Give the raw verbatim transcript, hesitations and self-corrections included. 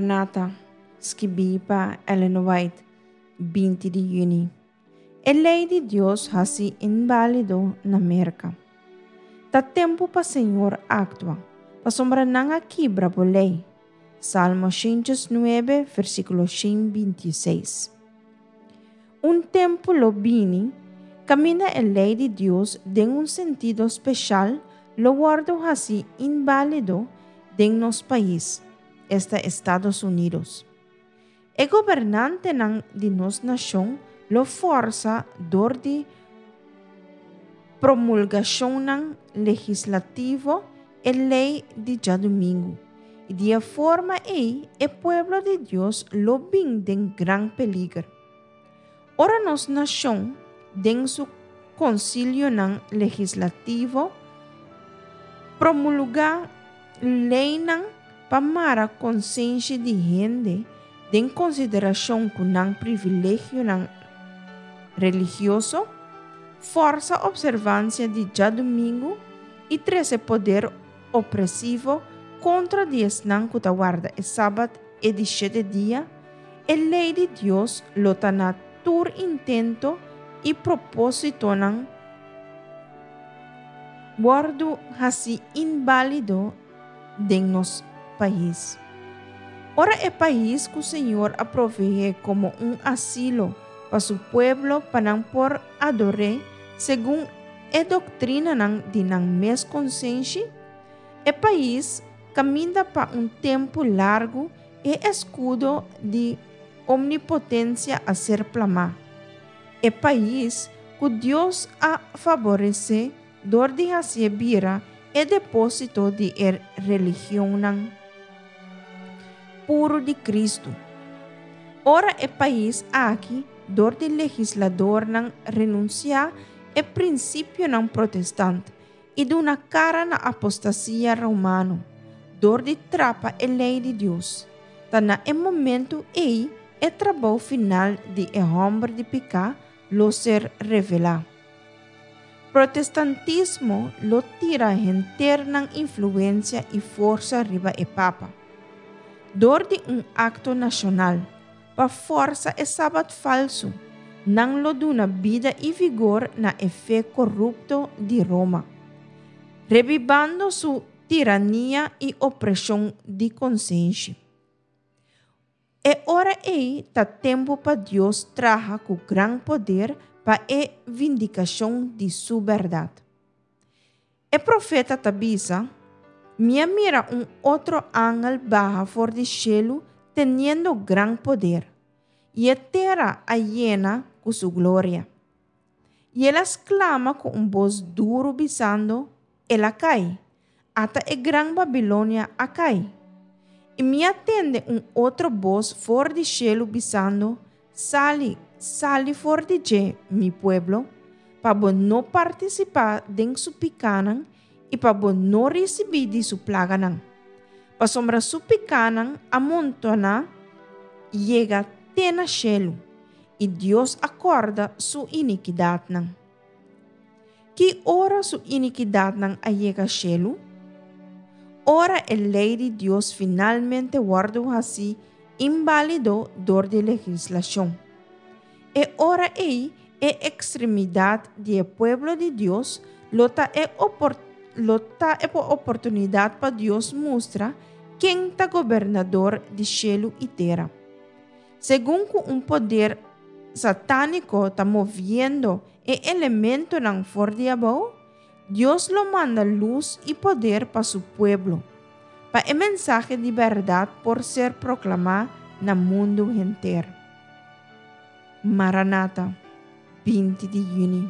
Maranata, skibí pa Ellen White, binti di yüni. E lei di Dios hasí inválido na Merka. Ta tempu pa Señor aktua, pasobra nan a kibra bo lei. Salmo shen nuebe, versíkulo shen binti seis. Un tempu lo bini, kaminda e lei di Dios den un sentido spesial lo wòrdu hasí inválido den nos pais, esta Estados Unidos. E gobernantenan di nos nashon lo forsa dor di promulgashon legislativo e lei di djadumingu. I di e forma ei, e pueblo di Dios lo bin den gran peliger. Ora nos nashon, den su konsilionan legislativo, promulgá leinan pa mara konsenshi di hende den konsiderashon ku nan privilegionan religioso, forsa opservansia di djadumingu i trese poder opresivo kontra di esnan ku ta warda e sabat e di shete dia, e lei di Dios lo ta na tur intento i propósitonan wòrdu hasí inválido den nos pais. Ora e pais ku Señor a proveé komo un asilo pa su pueblo pa nan por ador'é segun e doktrinanan di nan mes konsenshi, e pais kaminda pa un tempu largu e eskudo di omnipotensia a ser plamá. E pais ku Dios a favoresé dor di hasié bira e depósito di e religionnan puru di Kristu. Ora e pais aki, dor di legisladornan, renunsiá e prinsipionan protestant i duna kara na apostasia romano, dor di trapa e lei di Dios. Ta na e momento ei e trabou final di e hòmber di piká lo ser revelá. Protestantismo lo tira henter nan influensia i forsa riba e papa. Dor di un akto nashonal, pa forsa e sabat falsu, nan lo duna bida i vigor na e fe korupto di Roma, rebibando su tirania i opreshon di konsenshi. E ora ei ta tempu pa Dios traha ku gran poder pa e vindikashon di su bèrdat. E profeta ta bisa: "Mi a mira un otro angel baha for di shelu teniendo gran poder, i e tera a yena ku su gloria. I el a sklama ku un bos duru bisando: El a kai, ata e gran Babilonia a kai. I mi a tende un otro bos for di shelu bisando: Sali, sali for di dje, mi pueblo, pa bo no partisipá den su pikánan i pa bo no risibí di su plaganan. Pasobra su pikánan a montoná yega te na shelu, i Dios a kòrda su inikidatnan." Ki ora su inikidatnan a yega shelu? Ora e lei di Dios finalmente wòrdu hasí inválido dor di legislashon. E ora ei e ekstremidat di e pueblo di Dios lo ta e opor lo ta e oportunidat pa Dios mustra ken ta gobernador di shelu i tera. Segun ku un poder satániko ta moviendo e elementonan for di abou, Dios lo manda lus i poder pa su pueblo, pa e mensahe di bèrdat por ser proklamá na mundu henter. Maranata, binti di yüni.